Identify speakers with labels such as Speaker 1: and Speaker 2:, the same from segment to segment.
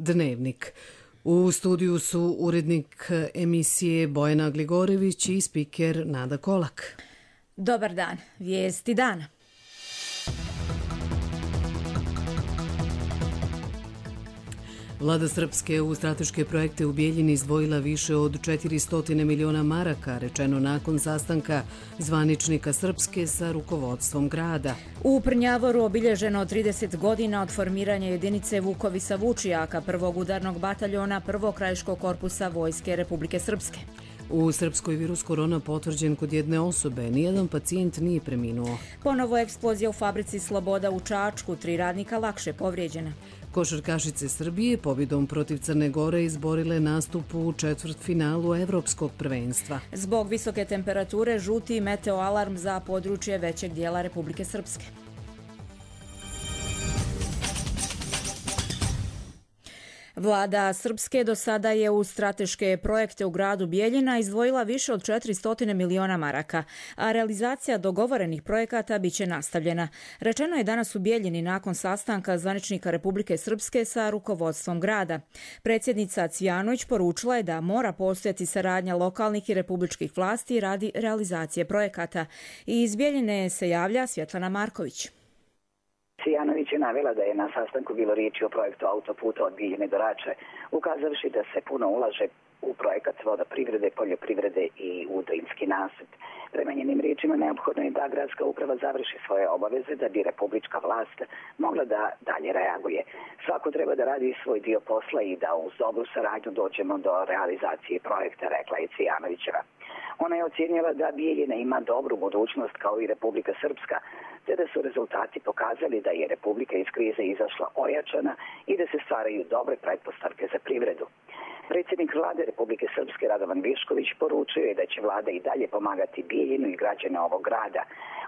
Speaker 1: Dnevnik. U studiju su urednik emisije Bojana Gligorević i spiker Nada Kolak.
Speaker 2: Dobar dan, vijesti dana.
Speaker 1: Vlada Srpske u strateške projekte u Bijeljini izdvojila više od 400 miliona maraka, rečeno nakon sastanka zvaničnika Srpske sa rukovodstvom grada.
Speaker 2: U Prnjavoru obilježeno 30 godina od formiranja jedinice Vukovisa Vučijaka, prvog udarnog bataljona prvog krajiškog korpusa Vojske Republike Srpske.
Speaker 1: U Srpskoj virus korona potvrđen kod jedne osobe, nijedan pacijent nije preminuo.
Speaker 2: Ponovo eksplozija u fabrici Sloboda u Čačku, 3 radnika lakše povrijeđena.
Speaker 1: Košarkašice Srbije pobjedom protiv Crne Gore izborile nastup u četvrtfinalu Evropskog prvenstva.
Speaker 2: Zbog visoke temperature žuti meteoalarm za područje većeg dijela Republike Srpske. Vlada Srpske do sada je u strateške projekte u gradu Bijeljina izdvojila više od 400 miliona maraka, a realizacija dogovorenih projekata biće nastavljena. Rečeno je danas u Bijeljini nakon sastanka zvaničnika Republike Srpske sa rukovodstvom grada. Predsjednica Cvijanović poručila je da mora postojati saradnja lokalnih i republičkih vlasti radi realizacije projekata. I iz Bijeljine se javlja Svjetlana Marković.
Speaker 3: Cvijanović je navela da je na sastanku bilo riječi o projektu autoputa od Bijeljine do Rače, ukazavši da se puno ulaže u projekat vodoprivrede, poljoprivrede i u Drinski nasip. Prema njenim riječima neophodno je da gradska uprava završi svoje obaveze da bi republička vlast mogla da dalje reaguje. Svako treba da radi svoj dio posla i da uz dobru saradnju dođemo do realizacije projekta, rekla je Cvijanovićeva. Ona je ocijenila da Bijeljina ima dobru budućnost kao i Republika Srpska, te da su rezultati pokazali da je Republika iz krize izašla ojačana i da se stvaraju dobre pretpostavke za privredu. Predsjednik vlade Republike Srpske Radovan Višković poručio je da će vlada i dalje pomagati Bijeljinu i građane ovog grada.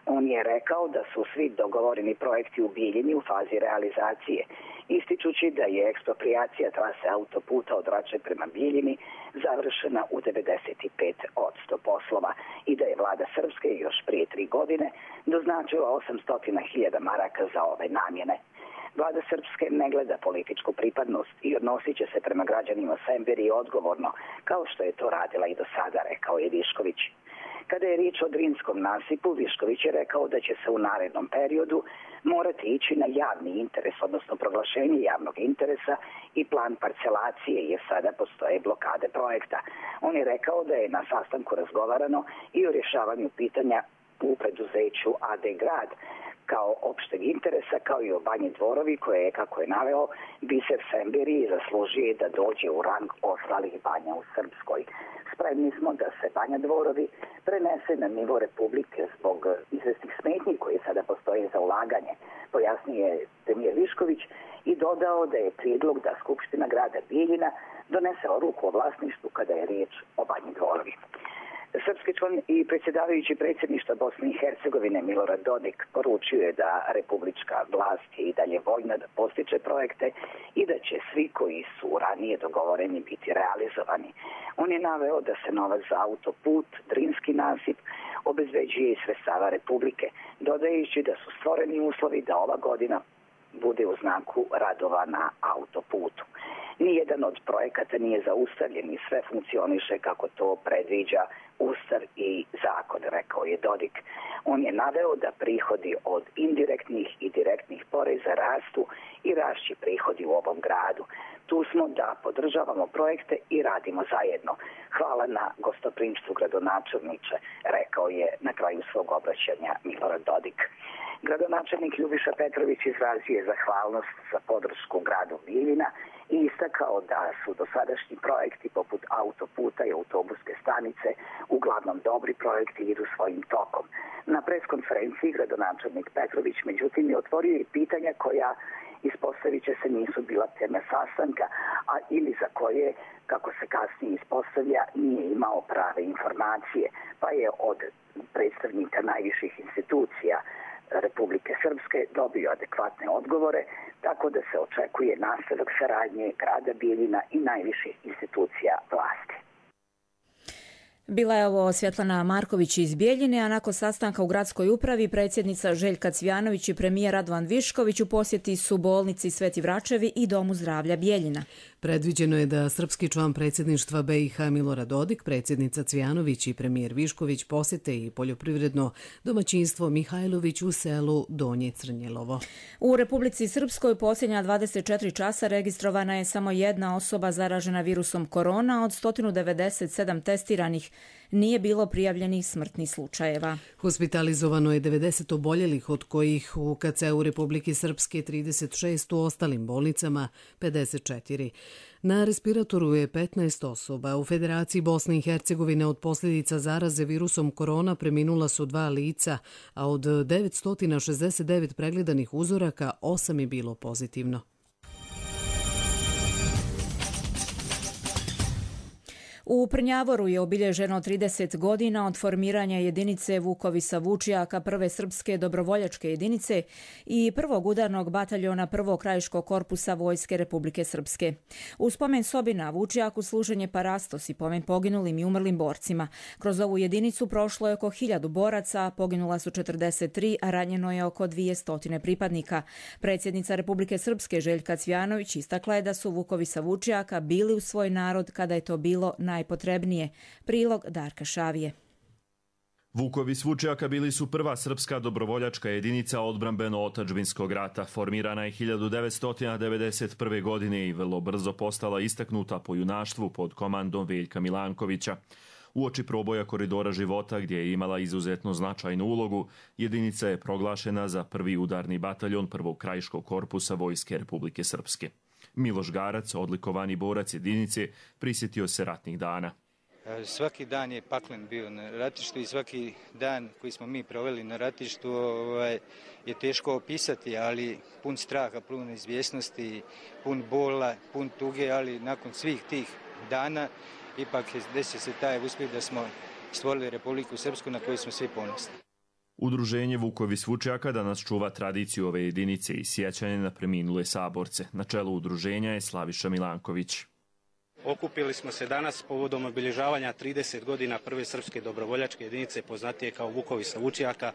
Speaker 3: On je rekao da su svi dogovoreni projekti u Bijeljini u fazi realizacije, ističući da je eksproprijacija trase autoputa od Rače prema Bijeljini završena u 95% poslova i da je vlada Srpske još prije 3 godine doznačila 800.000 maraka za ove namjene. Vlada Srpske ne gleda političku pripadnost i odnosit će se prema građanima Semberi odgovorno, kao što je to radila i do sada, rekao je Višković. Kada je riječ o Drinskom nasipu, Višković je rekao da će se u narednom periodu morati ići na javni interes, odnosno proglašenje javnog interesa i plan parcelacije, jer sada postoje blokade projekta. On je rekao da je na sastanku razgovarano i o rješavanju pitanja u preduzeću AD Grad kao opšteg interesa, kao i o Banji Dvorovi, koje je, kako je naveo, biser Semberi zaslužuje da dođe u rang ostalih banja u Srpskoj. Spremni smo da se Banja Dvorovi prenese na nivo Republike zbog izvesnih smetnji koje sada postoje za ulaganje, pojasnio je premijer Višković i dodao da je prijedlog da Skupština grada Bijeljina donese odluku o vlasništvu kada je riječ o Banji Dvorovi. Srpski član i predsjedavajući predsjedništva Bosne i Hercegovine Milorad Dodik poručio je da republička vlast je i dalje voljna da postiče projekte i da će svi koji su ranije dogovoreni biti realizovani. On je naveo da se novac za autoput, Drinski nasip, obezbeđuje iz sredstava Republike, dodajući da su stvoreni uslovi da ova godina bude u znaku radova na autoputu. Nijedan od projekata nije zaustavljen i sve funkcioniše kako to predviđa Ustav i zakon, rekao je Dodik. On je naveo da prihodi od indirektnih i direktnih poreza rastu i rašći prihodi u ovom gradu. Tu smo da podržavamo projekte i radimo zajedno. Hvala na gostoprimstvu, gradonačelniče, rekao je na kraju svog obraćanja Milorad Dodik. Gradonačelnik Ljubiša Petrović izrazio je zahvalnost za podršku gradu Bijeljina i istakao da su dosadašnji projekti poput autoputa i autobuske stanice uglavnom dobri projekti i idu svojim tokom. Na preskonferenciji gradonačelnik Petrović međutim je otvorio i pitanja koja ispostavit će se nisu bila teme sastanka, a ili za koje, kako se kasnije ispostavlja, nije imao prave informacije, pa je od predstavnika najviših institucija Republike Srpske dobio adekvatne odgovore, tako da se očekuje nastavak saradnje grada Bijeljina i najviših institucija vlasti.
Speaker 2: Bila je ovo Svjetlana Marković iz Bijeljine, a nakon sastanka u gradskoj upravi predsjednica Željka Cvijanović i premijer Radovan Višković u posjeti su bolnici Sveti Vračevi i Domu zdravlja Bijeljina.
Speaker 1: Predviđeno je da srpski član predsjedništva BiH Milorad Dodik, predsjednica Cvijanović i premijer Višković posjete i poljoprivredno domaćinstvo Mihajlović u selu Donje Crnjelovo.
Speaker 2: U Republici Srpskoj posljednja 24 časa registrovana je samo jedna osoba zaražena virusom korona. Od 197 testiranih nije bilo prijavljenih smrtnih slučajeva.
Speaker 1: Hospitalizovano je 90 oboljelih, od kojih u KC-u Republike Srpske 36, u ostalim bolnicama 54. Na respiratoru je 15 osoba. U Federaciji Bosne i Hercegovine od posljedica zaraze virusom korona preminula su 2 lica, a od 969 pregledanih uzoraka 8 je bilo pozitivno.
Speaker 2: U Prnjavoru je obilježeno 30 godina od formiranja jedinice Vukovisa Vučijaka, prve srpske dobrovoljačke jedinice i prvog udarnog bataljona prvog krajiškog korpusa Vojske Republike Srpske. U spomen sobi na Vučijaku služen je parastos i pomen poginulim i umrlim borcima. Kroz ovu jedinicu prošlo je oko 1000 boraca, poginula su 43, a ranjeno je oko 200 pripadnika. Predsjednica Republike Srpske Željka Cvijanović istakla je da su Vukovisa Vučijaka bili u svoj narod kada je to bilo najpotrebnije. Prilog Darka Šavije.
Speaker 4: Vukovi Vučijaka bili su prva srpska dobrovoljačka jedinica odbrambeno-otadžbinskog rata. Formirana je 1991. godine i vrlo brzo postala istaknuta po junaštvu pod komandom Veljka Milankovića. Uoči proboja koridora života, gdje je imala izuzetno značajnu ulogu, jedinica je proglašena za prvi udarni bataljon prvog krajiškog korpusa Vojske Republike Srpske. Miloš Garac, odlikovani borac jedinice, prisjetio se ratnih dana.
Speaker 5: Svaki dan je paklen bio na ratištu i svaki dan koji smo mi proveli na ratištu je teško opisati, ali pun straha, pun izvjesnosti, pun bola, pun tuge, ali nakon svih tih dana ipak desio se taj uspjeh da smo stvorili Republiku Srpsku na koju smo svi ponosni.
Speaker 4: Udruženje Vukovi Vučijaka danas čuva tradiciju ove jedinice i sjećanje na preminule saborce. Na čelu udruženja je Slaviša Milanković.
Speaker 6: Okupili smo se danas povodom obilježavanja 30 godina prve srpske dobrovoljačke jedinice, poznatije kao Vukovi Vučijaka,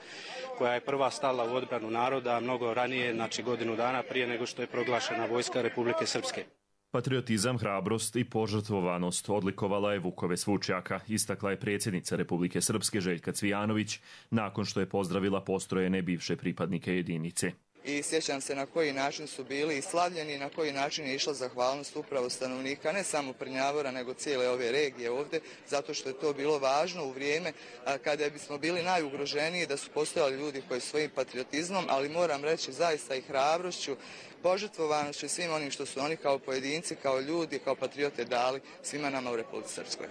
Speaker 6: koja je prva stala u odbranu naroda mnogo ranije, znači godinu dana prije nego što je proglašena Vojska Republike Srpske.
Speaker 4: Patriotizam, hrabrost i požrtvovanost odlikovala je Vukove Vučijaka, istakla je predsjednica Republike Srpske Željka Cvijanović nakon što je pozdravila postrojene bivše pripadnike jedinice.
Speaker 7: I sjećam se na koji način su bili i slavljeni, na koji način je išla zahvalnost upravo stanovnika, ne samo Prnjavora, nego cijele ove regije ovdje, zato što je to bilo važno u vrijeme kada bismo bili najugroženiji, da su postojali ljudi koji svojim patriotizmom, ali moram reći zaista i hrabrošću, požrtvovanošću i svim onim što su oni kao pojedinci, kao ljudi, kao patriote dali svima nama u Republici Srpskoj.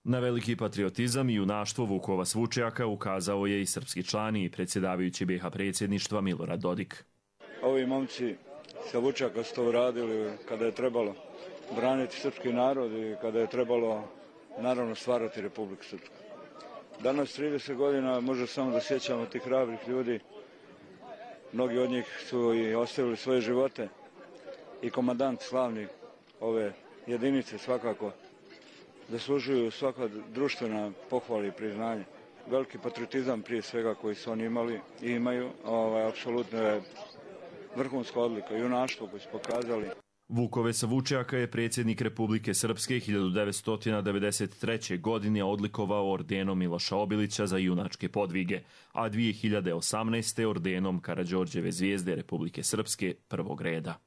Speaker 4: Na veliki patriotizam i junaštvo Vukova Vučijaka ukazao je i srpski član i predsjedavajući BiH predsjedništva Milorad Dodik.
Speaker 8: Ovi momci sa Vučijaka su to uradili kada je trebalo braniti srpski narod i kada je trebalo naravno stvarati Republiku Srpsku. Danas 30 godina može samo da sjećamo tih hrabrih ljudi. Mnogi od njih su i ostavili svoje živote i komandant slavni ove jedinice svakako zaslužuju svaka društvena pohvala i priznanje. Veliki patriotizam prije svega koji su oni imali i imaju, apsolutno je vrhunska odlika, junaštvo koji su pokazali.
Speaker 4: Vukove Vučijaka je predsjednik Republike Srpske 1993. godine odlikovao ordenom Miloša Obilića za junačke podvige, a 2018. ordenom Karađorđeve zvijezde Republike Srpske prvog reda.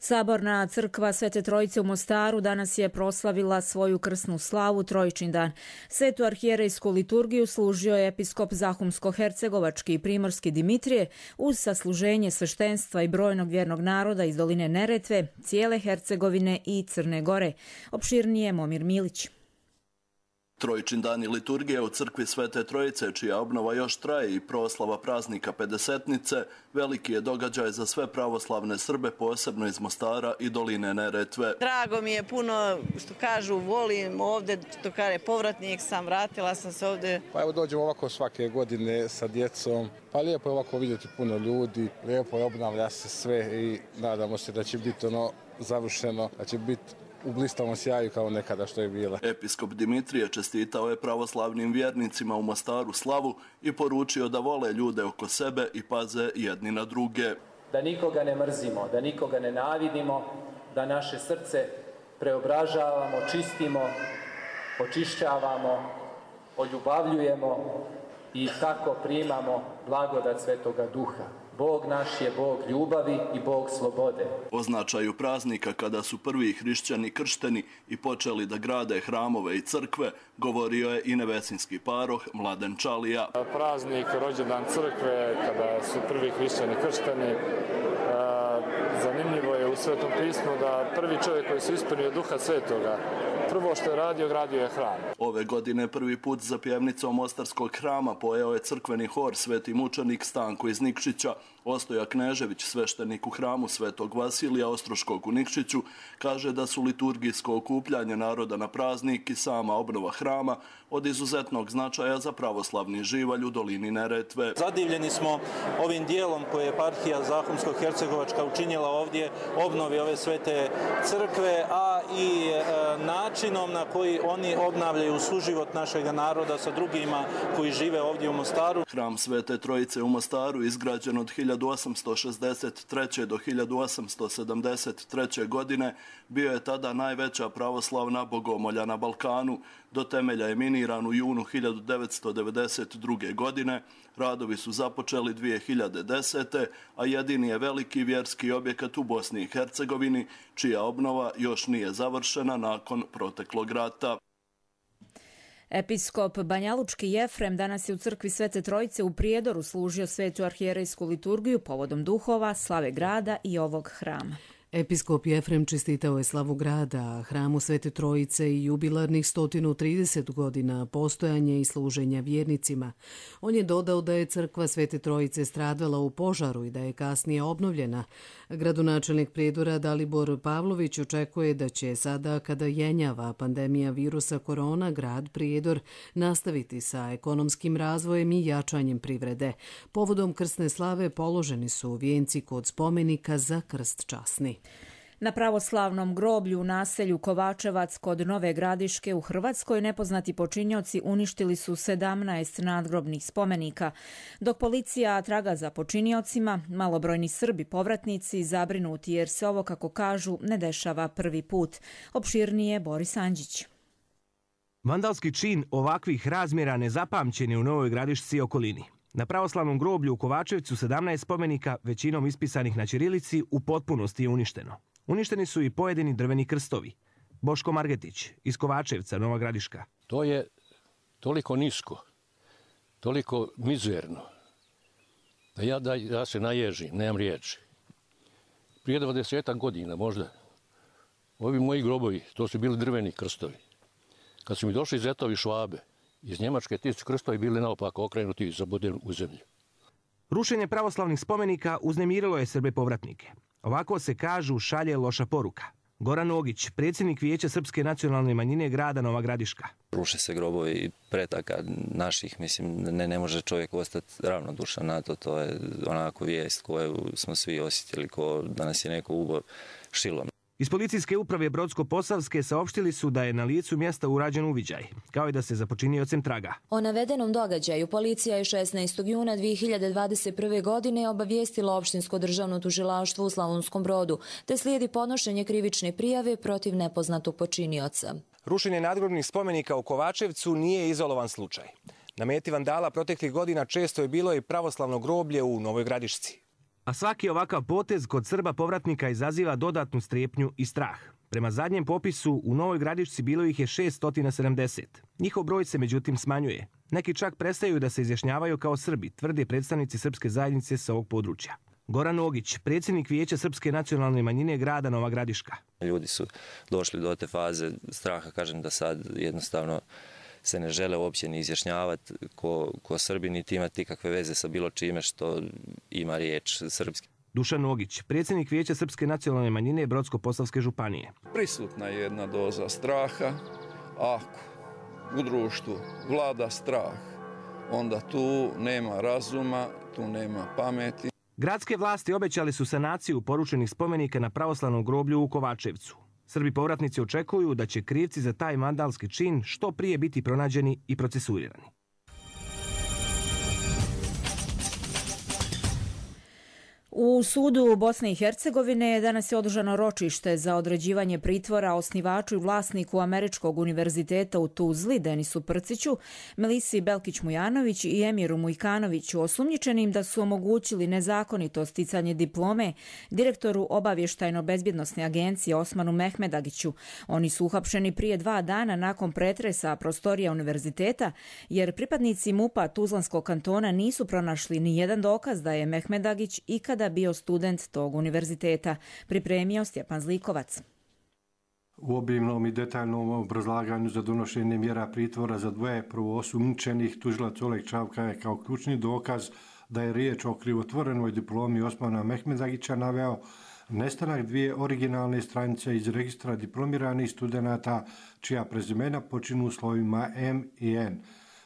Speaker 2: Saborna crkva Svete Trojice u Mostaru danas je proslavila svoju krsnu slavu Trojičin dan. Svetu arhijerejsku liturgiju služio je episkop Zahumsko-hercegovački i primorski Dimitrije uz sasluženje sveštenstva i brojnog vjernog naroda iz doline Neretve, cijele Hercegovine i Crne Gore. Opširnije Momir Milić.
Speaker 9: Trojičin dan i liturgija u crkvi Svete Trojice, čija obnova još traje i proslava praznika Pedesetnice, veliki je događaj za sve pravoslavne Srbe, posebno iz Mostara i doline Neretve.
Speaker 10: Drago mi je puno, što kažu, volim ovdje, što kaže, povratnik sam, vratila sam se ovdje.
Speaker 11: Pa evo dođemo ovako svake godine sa djecom, pa lijepo je ovako vidjeti puno ljudi, lijepo je, obnavlja se sve i nadamo se da će biti završeno, da će biti u blistavom sjaju kao nekada što je bila.
Speaker 9: Episkop Dimitrije čestitao je pravoslavnim vjernicima u Mostaru slavu i poručio da vole ljude oko sebe i paze jedni na druge.
Speaker 12: Da nikoga ne mrzimo, da nikoga ne navidimo, da naše srce preobražavamo, čistimo, očišćavamo, oljubavljujemo i tako primamo blagodat Svetoga Duha. Bog naš je Bog ljubavi i Bog slobode.
Speaker 9: O značaju praznika kada su prvi hrišćani kršteni i počeli da grade hramove i crkve, govorio je i nevesinski paroh Mladen Čalija.
Speaker 11: Praznik, rođendan crkve, kada su prvi hrišćani kršteni, zanimljivo je u Svetom pismu da prvi čovjek koji se ispunio Duha Svetoga, prvo što je radio, gradio je hram.
Speaker 9: Ove godine prvi put za pjevnicom Mostarskog hrama pojeo je crkveni hor Sveti mučenik Stanko iz Nikšića. Ostoja Knežević, sveštenik u hramu Svetog Vasilija Ostroškog u Nikšiću, kaže da su liturgijsko okupljanje naroda na praznik i sama obnova hrama od izuzetnog značaja za pravoslavni živalj u dolini Neretve.
Speaker 13: Zadivljeni smo ovim dijelom koje je eparhija Zahumsko-Hercegovačka učinila ovdje, obnovi ove svete crkve, a i načinom na koji oni obnavljaju suživot našeg naroda sa drugima koji žive ovdje u Mostaru.
Speaker 9: Hram Svete Trojice u Mostaru izgrađen od 1863. do 1873. godine bio je tada najveća pravoslavna bogomolja na Balkanu. Do temelja je miniran u junu 1992. godine. Radovi su započeli 2010. a jedini je veliki vjerski objekat u Bosni i Hercegovini, čija obnova još nije završena nakon proteklog rata.
Speaker 2: Episkop Banjalučki Jefrem danas je u crkvi Svete Trojice u Prijedoru služio svetu arhijerejsku liturgiju povodom duhova, slave grada i ovog hrama.
Speaker 1: Episkop Jefrem čestitao je slavu grada, hramu Svete Trojice i jubilarnih 130 godina postojanja i služenja vjernicima. On je dodao da je crkva Svete Trojice stradala u požaru i da je kasnije obnovljena. Gradonačelnik Prijedora Dalibor Pavlović očekuje da će sada, kada jenjava pandemija virusa korona, grad Prijedor nastaviti sa ekonomskim razvojem i jačanjem privrede. Povodom krsne slave položeni su vijenci kod spomenika za krst časni.
Speaker 2: Na pravoslavnom groblju u naselju Kovačevac kod Nove Gradiške u Hrvatskoj nepoznati počinioci uništili su 17 nadgrobnih spomenika. Dok policija traga za počiniocima, malobrojni Srbi povratnici zabrinuti jer se ovo, kako kažu, ne dešava prvi put. Opširnije Boris Anđić.
Speaker 14: Vandalski čin ovakvih razmjera nezapamćen je u Novoj Gradišci i okolini. Na pravoslavnom groblju u Kovačevcu 17 spomenika, većinom ispisanih na ćirilici, u potpunosti je uništeno. Uništeni su i pojedini drveni krstovi. Boško Margetić iz Kovačevca, Nova Gradiška.
Speaker 15: To je toliko nisko, toliko mizerno, da ja se naježim, nemam riječi. Prije 20 godina možda, ovi moji grobovi, to su bili drveni krstovi. Kad su mi došli zetovi Švabe, iz Njemačke ti su krstovi bili naopako okrenuti i zabodeni u zemlju.
Speaker 14: Rušenje pravoslavnih spomenika uznemirilo je Srbe povratnike. Ovako se kažu šalje loša poruka. Goran Ogić, predsjednik Vijeća Srpske nacionalne manjine grada Nova Gradiška.
Speaker 16: Ruše se grobovi pretaka naših, mislim, ne može čovjek ostati ravnodušan na to. To je onako vijest koju smo svi osjetili, ko da nas je neko ubao šilom.
Speaker 14: Iz policijske uprave Brodsko-Posavske saopštili su da je na licu mjesta urađen uviđaj, kao i da se za počiniocem traga.
Speaker 17: O navedenom događaju policija je 16. juna 2021. godine obavijestila Opštinsko državno tužilaštvo u Slavonskom Brodu, te slijedi podnošenje krivične prijave protiv nepoznatog počinioca.
Speaker 14: Rušenje nadgrobnih spomenika u Kovačevcu nije izolovan slučaj. Na meti vandala proteklih godina često je bilo i pravoslavno groblje u Novoj Gradišci. A svaki ovakav potez kod Srba povratnika izaziva dodatnu strepnju i strah. Prema zadnjem popisu u Novoj Gradišci bilo ih je 670. Njihov broj se međutim smanjuje. Neki čak prestaju da se izjašnjavaju kao Srbi, tvrde predstavnici srpske zajednice sa ovog područja. Goran Ogić, predsjednik Vijeća Srpske nacionalne manjine grada Nova Gradiška.
Speaker 16: Ljudi su došli do te faze straha, kažem da sad jednostavno se ne žele uopće ni izjašnjavati ko Srbi, niti imati ikakve veze sa bilo čime što ima riječ srpski.
Speaker 14: Dušan Ogić, predsjednik Vijeća Srpske nacionalne manjine Brodsko-Posavske županije.
Speaker 18: Prisutna je jedna doza straha. Ako u društvu vlada strah, onda tu nema razuma, tu nema pameti.
Speaker 14: Gradske vlasti obećali su sanaciju porušenih spomenika na pravoslavnom groblju u Kovačevcu. Srbi povratnici očekuju da će krivci za taj vandalski čin što prije biti pronađeni i procesuirani.
Speaker 2: U sudu Bosne i Hercegovine danas je održano ročište za određivanje pritvora osnivaču i vlasniku Američkog univerziteta u Tuzli, Denisu Prciću, Melisi Belkić-Mujanović i Emiru Mujkanoviću, osumnjičenim da su omogućili nezakonito sticanje diplome direktoru obavještajno-bezbjednosne agencije Osmanu Mehmedagiću. Oni su uhapšeni prije 2 dana nakon pretresa prostorija univerziteta, jer pripadnici MUP-a Tuzlanskog kantona nisu pronašli ni jedan dokaz da je Mehmedagić ikada bio student tog univerziteta, pripremio Stjepan Zlikovac.
Speaker 19: U obimnom i detaljnom obrazlaganju za donošenje mjera pritvora za 2 prvoosumnjičenih tužilac Oleg Čavka je kao ključni dokaz da je riječ o krivotvorenoj diplomi Osmana Mehmedagića naveo nestanak 2 originalne stranice iz registra diplomiranih studenata čija prezimena počinu slovima M i N.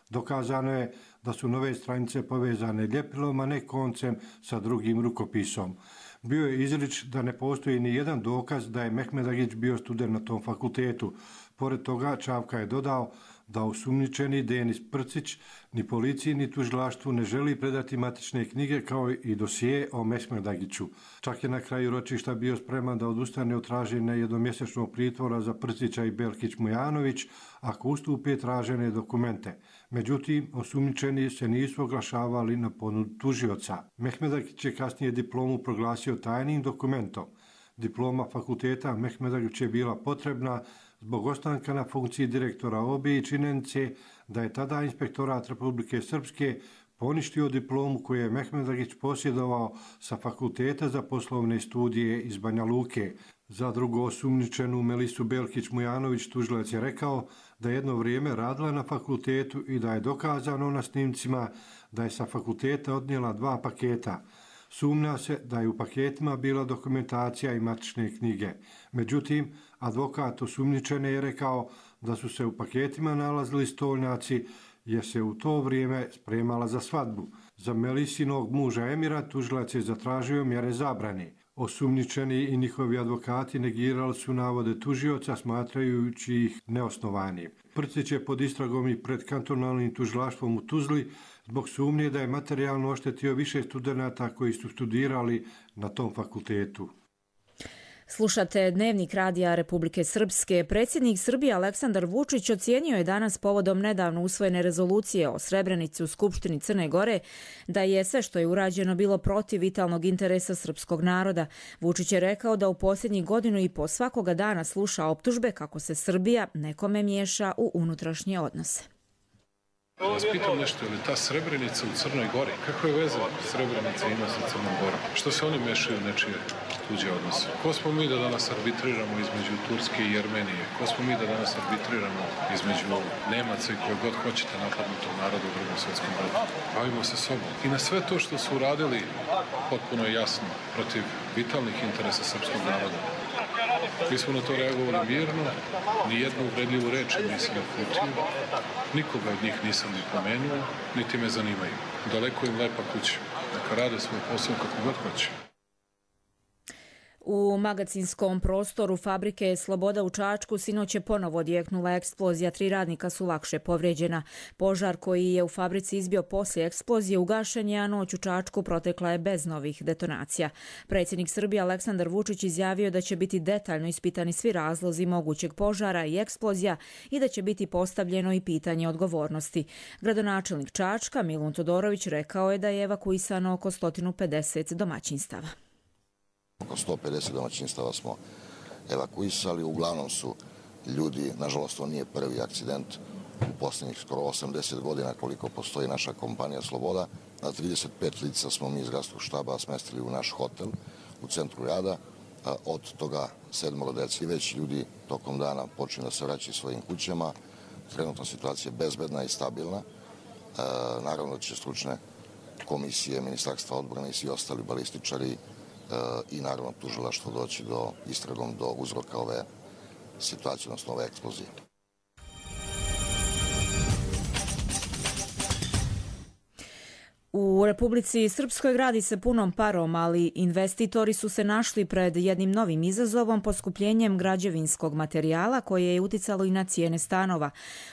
Speaker 19: Dokazano je da su nove stranice povezane ljepilom, a ne koncem sa drugim rukopisom. Bio je izrič da ne postoji ni jedan dokaz da je Mehmedagić bio student na tom fakultetu. Pored toga, Čavka je dodao da osumnjičeni Denis Prcić ni policiji ni tužilaštvu ne želi predati matične knjige kao i dosije o Mehmedagiću. Čak je na kraju ročišta bio spreman da odustane od traženja jednomjesečnog pritvora za Prcića i Belkić-Mujanović ako ustupe tražene dokumente. Međutim, osumnjičeni se nisu oglašavali na ponudu tužioca. Mehmedagić je kasnije diplomu proglasio tajnim dokumentom. Diploma fakulteta Mehmedagić je bila potrebna zbog ostanka na funkciji direktora OBE i činjenice da je tada Inspektorat Republike Srpske poništio diplomu koju je Mehmedagić posjedovao sa Fakulteta za poslovne studije iz Banja Luke. Za drugo osumnjičenu Melisu Belkić-Mujanović tužilac je rekao da je jedno vrijeme radila na fakultetu i da je dokazano na snimcima da je sa fakulteta odnijela 2 paketa. Sumnja se da je u paketima bila dokumentacija i matične knjige. Međutim, advokat osumnjičene je rekao da su se u paketima nalazili stolnjaci jer se u to vrijeme spremala za svadbu. Za Melisinog muža Emira tužilac je zatražio mjere zabrane. Osumnjičeni i njihovi advokati negirali su navode tužioca smatrajući ih neosnovanim. Prcić je pod istragom i pred kantonalnim tužilaštvom u Tuzli zbog sumnje da je materijalno oštetio više studenata koji su studirali na tom fakultetu.
Speaker 2: Slušate Dnevnik Radija Republike Srpske. Predsjednik Srbije Aleksandar Vučić ocijenio je danas povodom nedavno usvojene rezolucije o Srebrenici u Skupštini Crne Gore da je sve što je urađeno bilo protiv vitalnog interesa srpskog naroda. Vučić je rekao da u posljednjih 1.5 godina svakoga dana sluša optužbe kako se Srbija nekome miješa u unutrašnje odnose.
Speaker 20: Vas pitam nešto, je li ta Srebrenica u Crnoj Gori? Kakve veze Srebrenica ima sa Crnom Gorom? Što se oni mešaju u nečije tuđe odnose? Ko smo mi da danas arbitriramo između Turske i Jermenije? Ko smo mi da danas arbitriramo između Nemaca i koje god hoćete napadnutog naroda u Drugom svjetskom ratu? Bavimo se sobom. I na sve to što su uradili, potpuno je jasno, protiv vitalnih interesa srpskog naroda. Mi smo na to reagovali mirno, ni jednu uvredljivu reč nisam uputio, nikoga od njih nisam ni pomenuo, niti me zanimaju. Daleko im lepa kuća, neka rade svoj posao kako god hoće.
Speaker 2: U magacinskom prostoru fabrike Sloboda u Čačku sinoć je ponovo odjeknula eksplozija, 3 radnika su lakše povrijeđena. Požar koji je u fabrici izbio poslije eksplozije ugašen je, a noć u Čačku protekla je bez novih detonacija. Predsjednik Srbije Aleksandar Vučić izjavio da će biti detaljno ispitani svi razlozi mogućeg požara i eksplozija i da će biti postavljeno i pitanje odgovornosti. Gradonačelnik Čačka Milun Todorović rekao je da je evakuisano oko 150 domaćinstava.
Speaker 21: Oko 150 domaćinstava smo evakuisali, uglavnom su ljudi, nažalost to nije prvi akcident u posljednjih skoro 80 godina koliko postoji naša kompanija Sloboda. Na 35 lica smo mi iz gradskog štaba smestili u naš hotel u centru grada, od toga 7 dece. Već ljudi tokom dana počinju da se vraćaju svojim kućama, trenutna situacija je bezbedna i stabilna. Naravno da će stručne komisije, Ministarstva odbrane i svi ostali balističari i naravno tužilaštvo doći do istragom do uzroka ove situacije, odnosno ove eksplozije.
Speaker 2: U Republici Srpskoj gradi se punom parom, ali investitori su se našli pred jednim novim izazovom, poskupljenjem građevinskog materijala koje je uticalo i na cijene stanova.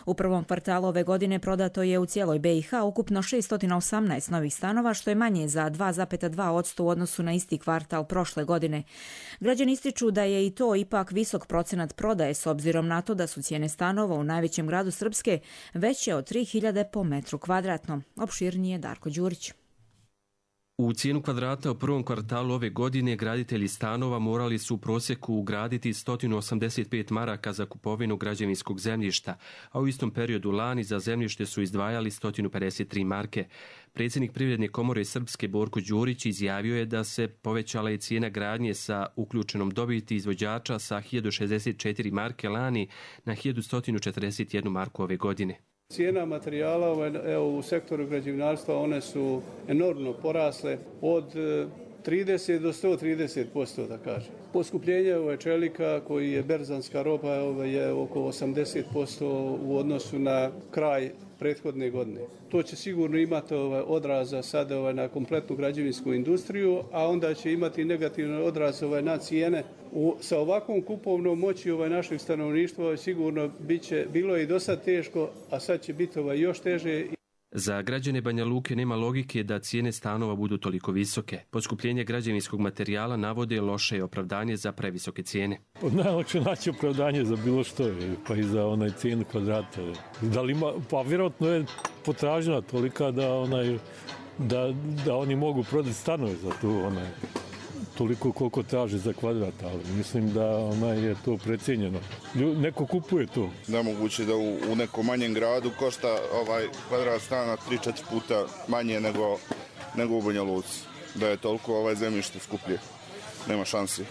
Speaker 2: U prvom kvartalu ove godine prodato je u cijeloj BiH ukupno 618 novih stanova, što je manje za 2,2% u odnosu na isti kvartal prošle godine. Građani ističu da je i to ipak visok procenat prodaje s obzirom na to da su cijene stanova u najvećem gradu Srpske veće od 3.000 po metru kvadratnom. Opširnije Darko Đurić.
Speaker 3: U cijenu kvadrata u prvom kvartalu ove godine graditelji stanova morali su u prosjeku ugraditi 185 maraka za kupovinu građevinskog zemljišta, a u istom periodu lani za zemljište su izdvajali 153 marke. Predsjednik Privredne komore Srpske Borko Đurić izjavio je da se povećala i cijena gradnje sa uključenom dobiti izvođača sa 1064 marke lani na 1141 marku ove godine.
Speaker 22: Cijena materijala u sektoru građevinarstva one su enormno porasle od 30 do 130%, da kažem. Poskupljenje čelika koji je berzanska roba je oko 80% u odnosu na kraj prethodne godine. To će sigurno imati odraza sada na kompletnu građevinsku industriju, a onda će imati negativni odraz na cijene. Sa ovakvom kupovnom moći našeg stanovništva sigurno bilo je i dosta teško, a sad će biti još teže.
Speaker 3: Za građane Banja Luke nema logike da cijene stanova budu toliko visoke. Poskupljenje građevinskog materijala navode loše opravdanje za previsoke cijene.
Speaker 23: Najlakše naći opravdanje za bilo što, pa i za cijenu kvadrata. Da li ima, pa vjerojatno je potražnja tolika da oni mogu prodati stanove za tu toliko koliko traže za kvadrat, ali mislim da je to precijenjeno. Neko kupuje to.
Speaker 24: Nemoguće da u nekom manjem gradu košta kvadrat stana 3-4 puta manje nego u Banja Luci. Da je toliko zemljište skuplje. Nema šansi.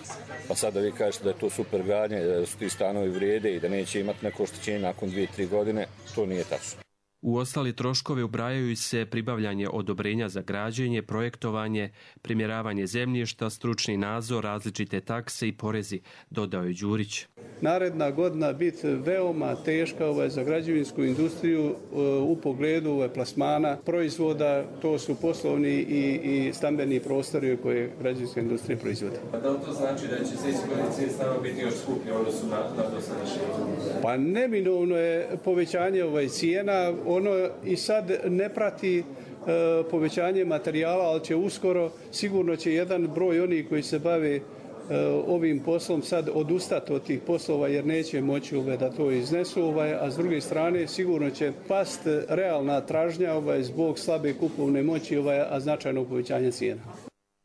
Speaker 25: Pa sad da vi kažete da je to super gradnje, da su ti stanovi vrijede i da neće imati neko oštećenje nakon 2-3 godine, to nije tačno.
Speaker 3: U ostali troškove ubrajaju se pribavljanje odobrenja za građenje, projektovanje, primjeravanje zemljišta, stručni nadzor, različite takse i porezi, dodao je Đurić.
Speaker 22: Naredna godina biti veoma teška za građevinsku industriju u pogledu plasmana proizvoda, to su poslovni i stambeni prostori koje građevinska industrija proizvodi.
Speaker 3: Da li to znači da će sljedeće godine cijene stanova biti još skuplje u odnosu na dosadašnje?
Speaker 22: Pa neminovno je povećanje cijena. Ono i sad ne prati povećanje materijala, ali će uskoro, sigurno će jedan broj onih koji se bave ovim poslom sad odustati od tih poslova jer neće moći da to iznesu, a s druge strane sigurno će past realna tražnja zbog slabe kupovne moći, a značajnog povećanja cijena.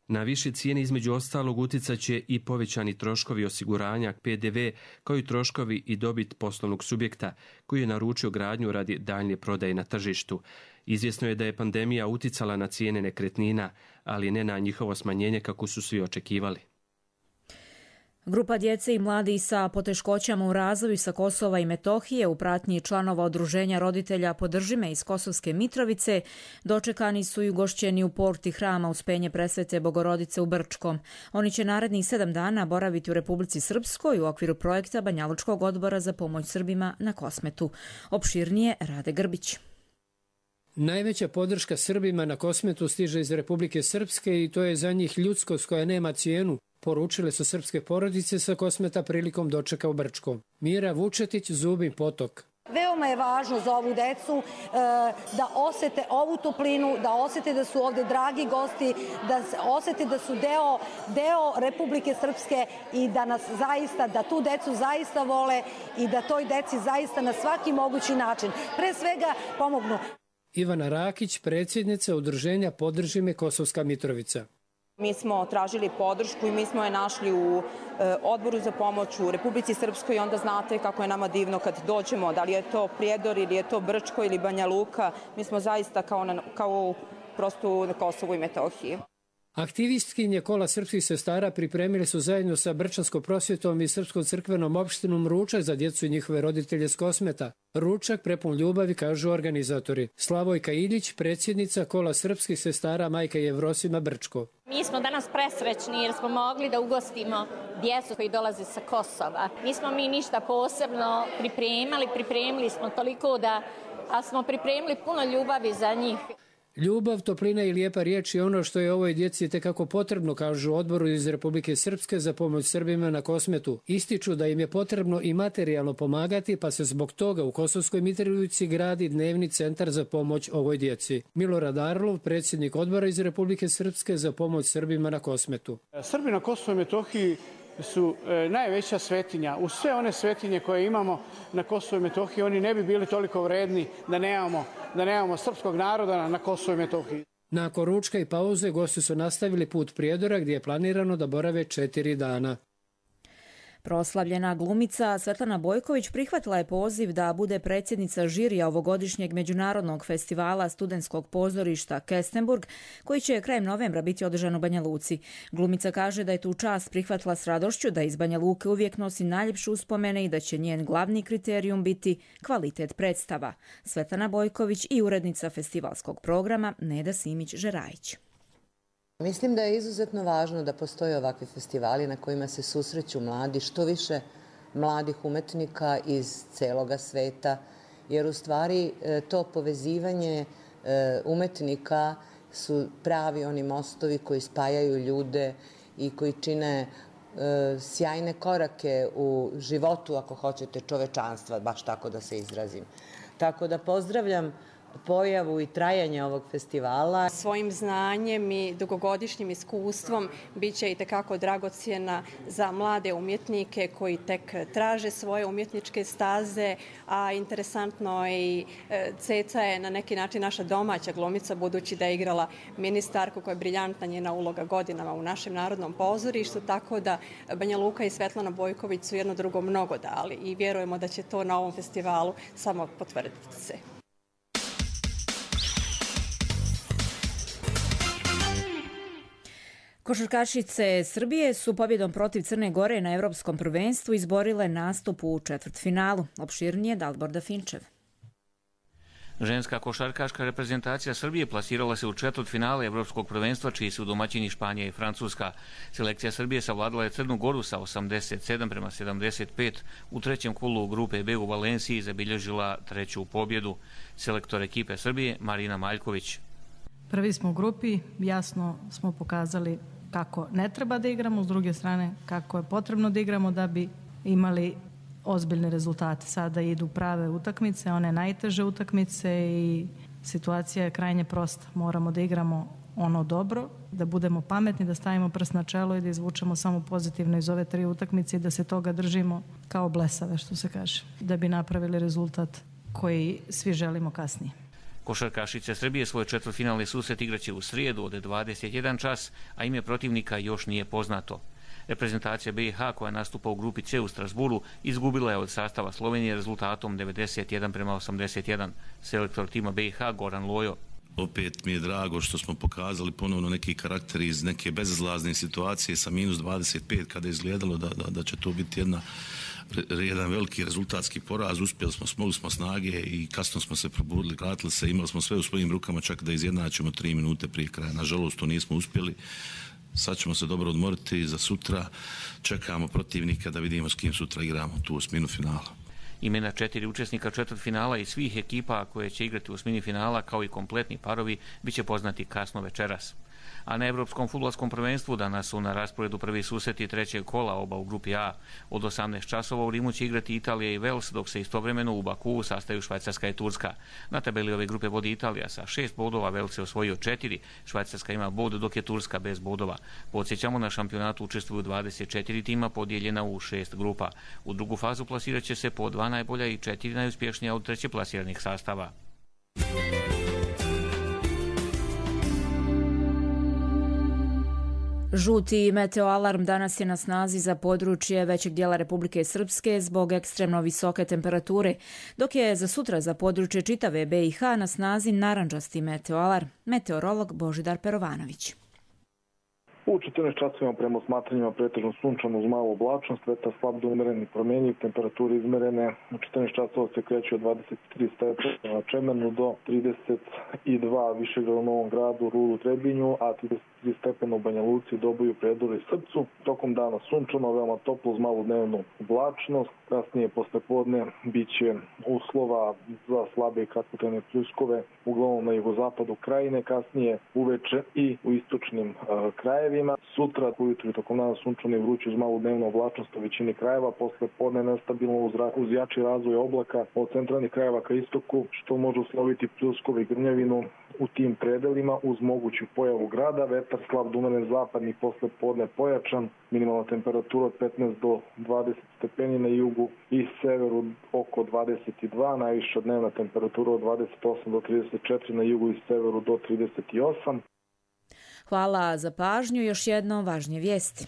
Speaker 3: Na više cijene između ostalog utjecat će i povećani troškovi osiguranja, PDV, kao i troškovi i dobit poslovnog subjekta koji je naručio gradnju radi daljnje prodaje na tržištu. Izvjesno je da je pandemija uticala na cijene nekretnina, ali ne na njihovo smanjenje kako su svi očekivali.
Speaker 2: Grupa djece i mladih sa poteškoćama u razvoju sa Kosova i Metohije u pratnji članova Udruženja roditelja Podrži me iz Kosovske Mitrovice dočekani su i ugošćeni u porti hrama Uspenje Presvete Bogorodice u Brčkom. Oni će narednih 7 dana boraviti u Republici Srpskoj u okviru projekta Banjalučkog odbora za pomoć Srbima na Kosmetu. Opširnije Rade Grbić.
Speaker 26: Najveća podrška Srbima na Kosmetu stiže iz Republike Srpske i to je za njih ljudskost koja nema cijenu, poručile su srpske porodice sa Kosmeta prilikom dočeka u Brčkom. Mira Vučetić, Zubin Potok.
Speaker 27: Veoma je važno za ovu decu da osete ovu toplinu, da osete da su ovde dragi gosti, da osete da su deo Republike Srpske i da nas zaista, da tu decu zaista vole i da toj deci zaista na svaki mogući način, pre svega, pomognu.
Speaker 26: Ivana Rakić, predsjednica Udruženja Podrži me Kosovska Mitrovica.
Speaker 28: Mi smo tražili podršku i mi smo je našli u odboru za pomoć u Republici Srpskoj i onda znate kako je nama divno kad dođemo, da li je to Prijedor ili je to Brčko ili Banja Luka, mi smo zaista kao prosto na Kosovu i Metohiji.
Speaker 26: Aktivistkinje Kola srpskih sestara pripremili su zajedno sa Brčanskom prosvjetom i Srpskom crkvenom opštinom ručak za djecu i njihove roditelje s Kosmeta. Ručak prepun ljubavi, kažu organizatori. Slavojka Iljić, predsjednica Kola srpskih sestara Majka Jevrosima Brčko.
Speaker 29: Mi smo danas presrećni jer smo mogli da ugostimo djecu koji dolaze sa Kosova. Nismo mi ništa posebno pripremili smo toliko da smo pripremili puno ljubavi za njih.
Speaker 26: Ljubav, toplina i lijepa riječ je ono što je ovoj djeci tekako potrebno, kažu u odboru iz Republike Srpske za pomoć Srbima na Kosmetu. Ističu da im je potrebno i materijalno pomagati, pa se zbog toga u Kosovskoj Mitrovici gradi dnevni centar za pomoć ovoj djeci. Milorad Arlov, predsjednik odbora iz Republike Srpske za pomoć Srbima na Kosmetu.
Speaker 22: Srbi na Kosovu i Metohiji su najveća svetinja. U sve one svetinje koje imamo na Kosovu i Metohiji, oni ne bi bili toliko vredni da nemamo srpskog naroda na Kosovu i Metohiji.
Speaker 26: Nakon ručka i pauze gosti su nastavili put Prijedora gdje je planirano da borave 4 dana.
Speaker 2: Proslavljena glumica Svetlana Bojković prihvatila je poziv da bude predsjednica žirija ovogodišnjeg međunarodnog festivala studentskog pozorišta Kestenburg, koji će krajem novembra biti održan u Banja Luci. Glumica kaže da je tu čast prihvatila s radošću, da iz Banja Luke uvijek nosi najljepše uspomene i da će njen glavni kriterijum biti kvalitet predstava. Svetlana Bojković i urednica festivalskog programa Neda Simić-Žerajić.
Speaker 4: Mislim da je izuzetno važno da postoje ovakvi festivali na kojima se susreću mladi, što više mladih umetnika iz celoga sveta, jer u stvari to povezivanje umetnika su pravi oni mostovi koji spajaju ljude i koji čine sjajne korake u životu, ako hoćete, čovečanstva, baš tako da se izrazim. Tako da pozdravljam pojavu i trajanje ovog festivala.
Speaker 5: Svojim znanjem i dugogodišnjim iskustvom bit će i tekako dragocjena za mlade umjetnike koji tek traže svoje umjetničke staze, a interesantno i Ceca je na neki način naša domaća glumica, budući da je igrala ministarku koja je briljantna njena uloga godinama u našem narodnom pozorištu, tako da Banja Luka i Svetlana Bojković su jedno drugo mnogo dali i vjerujemo da će to na ovom festivalu samo potvrditi se.
Speaker 2: Košarkašice Srbije su pobjedom protiv Crne Gore na Evropskom prvenstvu izborile nastup u četvrtfinalu. Opširnije Dalborda Finčev.
Speaker 6: Ženska košarkaška reprezentacija Srbije plasirala se u četvrtfinale Evropskog prvenstva, čiji su domaćini Španija i Francuska. Selekcija Srbije savladala je Crnu Goru sa 87-75. U trećem kolu grupe B u Valenciji zabilježila treću pobjedu. Selektor ekipe Srbije Marina Maljković.
Speaker 7: Prvi smo u grupi, jasno smo pokazali kako ne treba da igramo, s druge strane kako je potrebno da igramo da bi imali ozbiljne rezultate. Sada idu prave utakmice, one najteže utakmice i situacija je krajnje prosta. Moramo da igramo ono dobro, da budemo pametni, da stavimo prst na čelo i da izvučemo samo pozitivno iz ove 3 utakmice i da se toga držimo kao blesave, što se kaže, da bi napravili rezultat koji svi želimo kasnije.
Speaker 6: Košarkašice Srbije svoj četvrtfinalni susret igraće u srijedu od 21 čas, a ime protivnika još nije poznato. Reprezentacija BiH koja nastupa u grupi C u Strasburu izgubila je od sastava Slovenije rezultatom 91-81. Selektor tima BiH Goran Lojo.
Speaker 8: Opet mi je drago što smo pokazali ponovno neki karakter iz neke bezizlazne situacije sa minus 25 kada je izgledalo da će to biti jedan veliki rezultatski poraz. Uspjeli smo, smogli smo snage i kasno smo se probudili, vratili se, imali smo sve u svojim rukama čak da izjednačimo 3 minute prije kraja. Nažalost to nismo uspjeli. Sad ćemo se dobro odmoriti za sutra. Čekamo protivnika da vidimo s kim sutra igramo tu u osminu finala.
Speaker 6: Imena 4 učesnika četvrtfinala i svih ekipa koje će igrati u osmini finala kao i kompletni parovi bit će poznati kasno večeras. A na Evropskom fudbalskom prvenstvu danas su na rasporedu prvi susreti trećeg kola, oba u grupi A. Od 18 časova u Rimu će igrati Italija i Vels, dok se istovremeno u Bakuu sastaju Švajcarska i Turska. Na tabeli ove grupe vodi Italija sa 6 bodova, Vels je osvojio 4, Švajcarska ima bod, dok je Turska bez bodova. Podsjećamo, na šampionatu učestvuju 24 tima podijeljena u 6 grupa. U drugu fazu plasirat će se po 2 najbolja i 4 najuspješnija od treće plasiranih sastava.
Speaker 2: Žuti meteoalarm danas je na snazi za područje većeg dijela Republike Srpske zbog ekstremno visoke temperature, dok je za sutra za područje čitave BiH na snazi narandžasti meteoalarm. Meteorolog Božidar Perovanović.
Speaker 10: U 14 časovima prema osmatranjima pretežno sunčano uz malu oblačnost, vetar slab do umeren promjenjiv, temperature izmerene u 14 časova se kreću od 23 stepena na Čemernu do 32 Višegradu, Novom Gradu, Rudu, Trebinju, a 33 stepena u Banja Luci, Doboju, Prijedoru i Srpcu. Tokom dana sunčano, veoma toplo uz malu dnevnu oblačnost, Kasnije poslepodne bit će uslova za slabe i kratkotrajne pljuskove, uglavnom na jugozapadu krajine, kasnije uveče i u istočnim krajevima. Sutra ujutru i tokom dana sunčano i vruće uz malu dnevnu oblačnost u većini krajeva, poslepodne nestabilno uz jači razvoj oblaka od centralnih krajeva ka istoku, što može usloviti pljuskove i grmljavinu u tim predelima uz moguću pojavu grada. Vetar slab do umeren zapadni, poslepodne pojačan, minimalna temperatura od 15 do 20 stepeni na jugu i severu oko 22, najviša dnevna temperatura od 28 do 34 na jugu i severu do 38.
Speaker 2: Hvala za pažnju. Još jednom važnije vijesti.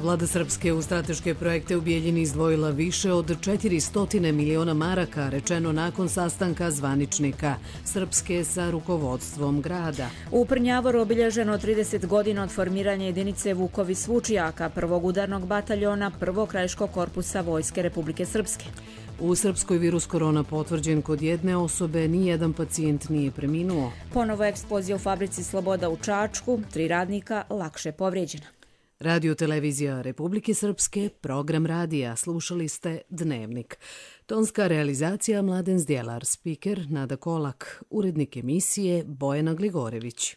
Speaker 1: Vlada Srpske u strateške projekte u Bijeljini izdvojila više od 400 miliona maraka, rečeno nakon sastanka zvaničnika Srpske sa rukovodstvom grada.
Speaker 2: U Prnjavoru obilježeno 30 godina od formiranja jedinice Vukovi Svučijaka, prvog udarnog bataljona prvog krajiškog korpusa Vojske Republike Srpske.
Speaker 1: U Srpskoj virus korona potvrđen kod jedne osobe, nijedan pacijent nije preminuo.
Speaker 2: Ponovo eksplozija u fabrici Sloboda u Čačku, 3 radnika lakše povrijeđena.
Speaker 1: Radio Televizija Republike Srpske, program radija, slušali ste Dnevnik. Tonska realizacija Mladen Zdjelar, spiker Nada Kolak, urednik emisije Bojana Gligorević.